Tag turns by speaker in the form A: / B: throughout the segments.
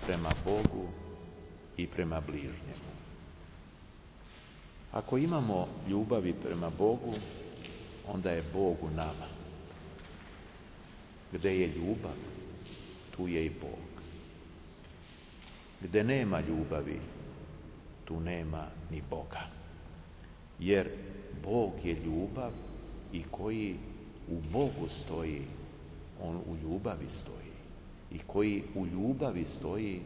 A: prema Bogu i prema bližnjemu. Ako imamo ljubavi prema Bogu, onda je Bog u nama. Gde je ljubav, tu je i Bog. Gde nema ljubavi, tu nema ni Boga. Jer Bog je ljubav i koji u Bogu stoji, on u ljubavi stoji. I koji u ljubavi stoji,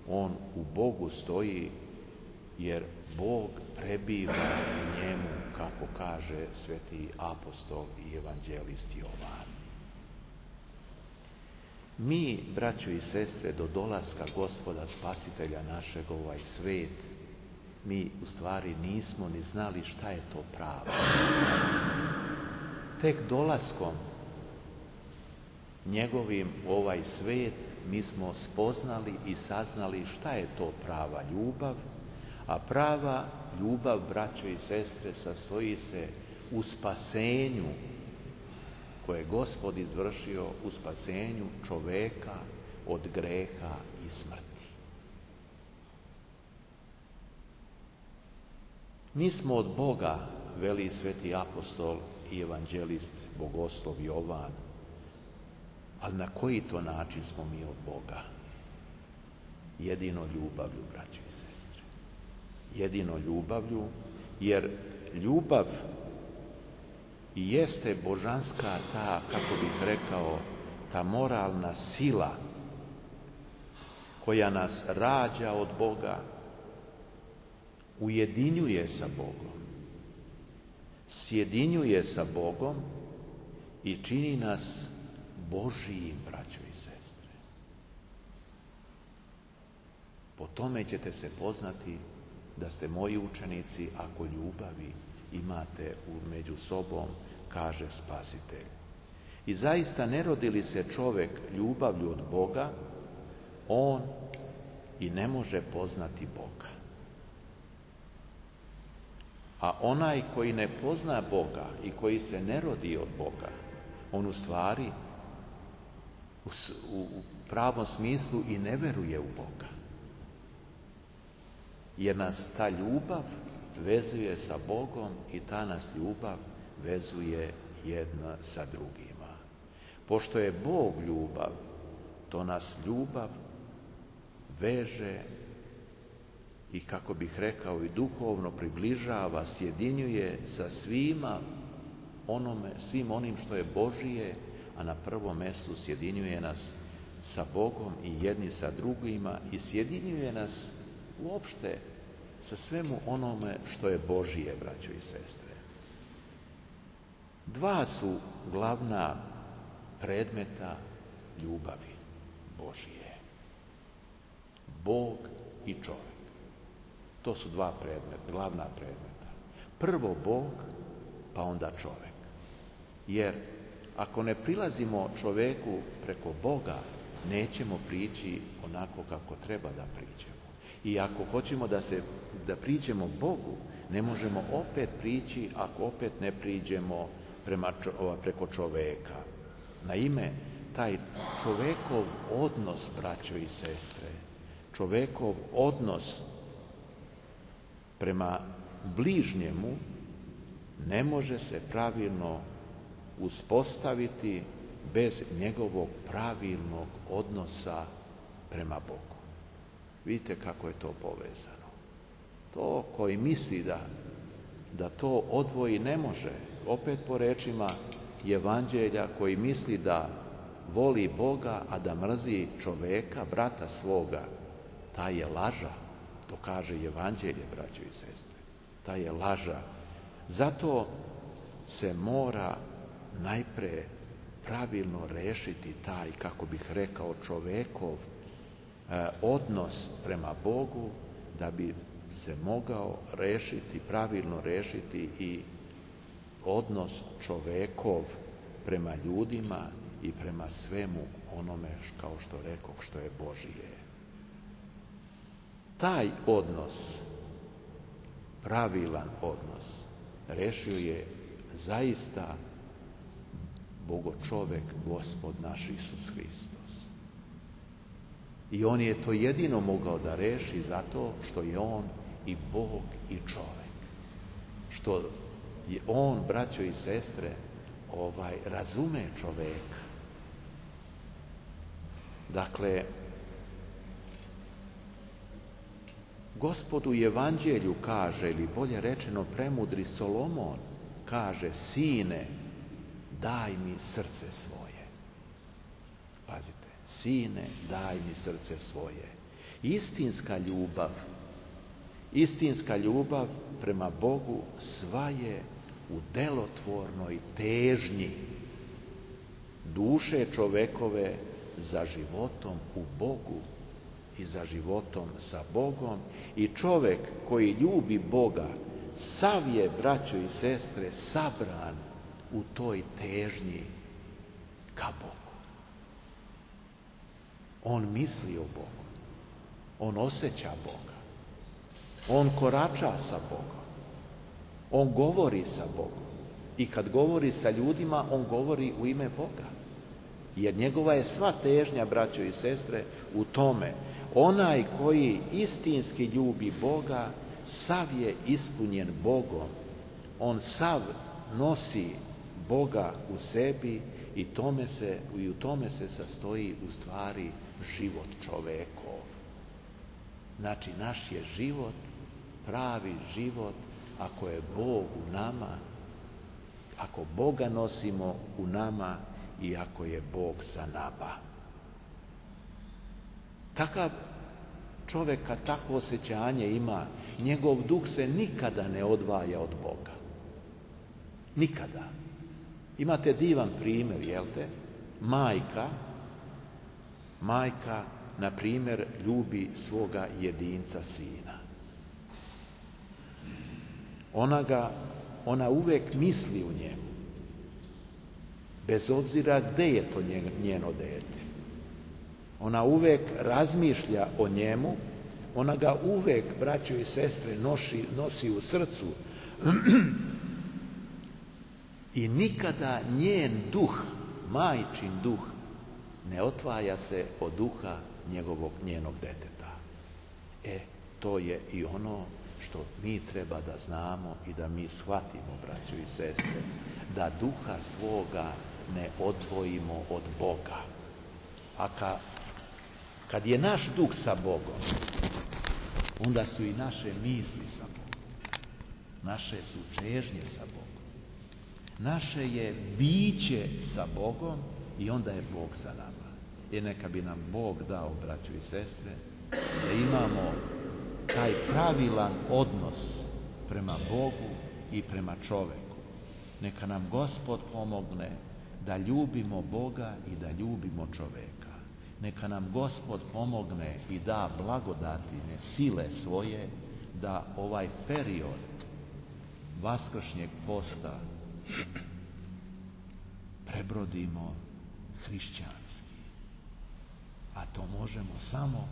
A: on u Bogu stoji, jer Bog prebiva u njemu, kako kaže sveti apostol i evanđelist Jovan. Mi, braćo i sestre, do dolaska Gospoda Spasitelja našeg u ovaj svet, mi u stvari nismo ni znali šta je to pravo. Tek dolaskom njegovim u ovaj svet mi smo spoznali i saznali šta je to prava ljubav, a prava ljubav, braćo i sestre, sastoji se u spasenju koje je Gospod izvršio, u spasenju čoveka od greha i smrti. Mi smo od Boga, veli sveti apostol i evanđelist bogoslov Jovan, ali na koji to način smo mi od Boga? Jedino ljubavlju, braćo i sestre. Jedino ljubavlju, jer ljubav i jeste božanska ta, kako bih rekao, ta moralna sila koja nas rađa od Boga, ujedinjuje sa Bogom, sjedinjuje sa Bogom i čini nas Božijim, braćo i sestre. Po tome ćete se poznati da ste moji učenici ako ljubavi imate među sobom, kaže Spasitelj. I zaista ne rodi li se čovjek ljubavlju od Boga, on i ne može poznati Boga. A onaj koji ne pozna Boga i koji se ne rodi od Boga, on u stvari u pravom smislu i ne veruje u Boga. Jer nas ta ljubav vezuje sa Bogom i ta nas ljubav vezuje jedna sa drugima. Pošto je Bog ljubav, to nas ljubav veže i, kako bih rekao, i duhovno približava, sjedinjuje sa svim onim što je Božije, a na prvom mjestu sjedinjuje nas sa Bogom i jedni sa drugima i sjedinjuje nas uopšte sa svemu onome što je Božije, braćo i sestre. Dva su glavna predmeta ljubavi Božije. Bog i čovjek. To su dva predmeta, glavna predmeta. Prvo Bog, pa onda čovjek. Jer ako ne prilazimo čovjeku preko Boga, nećemo prići onako kako treba da priđemo. I ako hoćemo da priđemo Bogu, ne možemo opet prići ako opet ne priđemo preko čovjeka. Naime, taj čovjekov odnos, braćo i sestre, čovjekov odnos prema bližnjemu ne može se pravilno uspostaviti bez njegovog pravilnog odnosa prema Bogu. Vidite kako je to povezano. To koji misli da to odvoji ne može, opet po rečima Evanđelja, koji misli da voli Boga, a da mrzi čoveka, brata svoga, taj je laža. To kaže Evanđelje, braćo i sestre. Taj je laža. Zato se mora najpre pravilno rešiti taj, kako bih rekao, čovekov odnos prema Bogu, da bi se mogao pravilno rešiti i odnos čovekov prema ljudima i prema svemu onome, kao što rekoh, što je Božije. Taj odnos, pravilan odnos, rešio je zaista Bogočovek, Gospod naš Isus Hristos. I on je to jedino mogao da reši zato što je on i Bog i čovek. Što je on, braćo i sestre, razume čoveka. Dakle, Gospod u Evanđelju kaže, ili bolje rečeno premudri Solomon kaže: sine, daj mi srce svoje. Pazite, sine, daj mi srce svoje. Istinska ljubav prema Bogu sva je u delotvornoj težnji duše čovekove za životom u Bogu i za životom sa Bogom. I čovek koji ljubi Boga, sav je, braćo i sestre, sabran u toj težnji ka Bogu. On misli o Bogu, on osjeća Boga, on korača sa Bogom, on govori sa Bogom. I kad govori sa ljudima, on govori u ime Boga. Jer njegova je sva težnja, braćo i sestre, u tome. Onaj koji istinski ljubi Boga, sav je ispunjen Bogom. On sav nosi Boga u sebi i u tome se sastoji u stvari život čovekov. Znači, naš je život, pravi život, ako je Bog u nama, ako Boga nosimo u nama i ako je Bog sa nama. Takav čovjek, kad takvo osjećanje ima, njegov duh se nikada ne odvaja od Boga. Nikada. Imate divan primjer, jel te? Majka, na primjer, ljubi svoga jedinca sina. Ona uvek misli u njemu, bez obzira gde je to njeno dete. Ona uvek razmišlja o njemu, ona ga uvek, braćo i sestre, nosi u srcu i nikada njen duh, majčin duh, ne otvaja se od duha njenog deteta. To je i ono što mi treba da znamo i da mi shvatimo, braćo i sestre, da duha svoga ne odvojimo od Boga. A kad je naš duh sa Bogom, onda su i naše misli sa Bogom. Naše su čežnje sa Bogom. Naše je biće sa Bogom i onda je Bog sa nama. I neka bi nam Bog dao, braćo i sestre, da imamo taj pravilan odnos prema Bogu i prema čoveku. Neka nam Gospod pomogne da ljubimo Boga i da ljubimo čoveka. Neka nam Gospod pomogne i da blagodatine, sile svoje, da ovaj period vaskršnjeg posta prebrodimo hrišćanski. A to možemo samo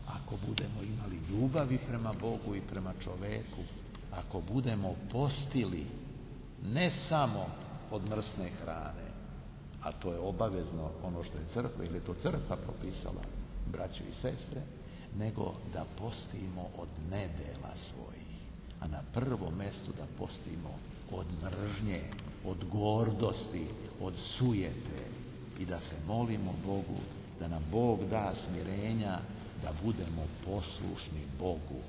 A: ako budemo imali ljubavi prema Bogu i prema čoveku, ako budemo postili ne samo od mrsne hrane, a to je obavezno ono što je crkva, ili je to crkva propisala, braćo i sestre, nego da postimo od nedela svojih, a na prvom mjestu da postimo od mržnje, od gordosti, od sujete i da se molimo Bogu da nam Bog da smirenja, da budemo poslušni Bogu.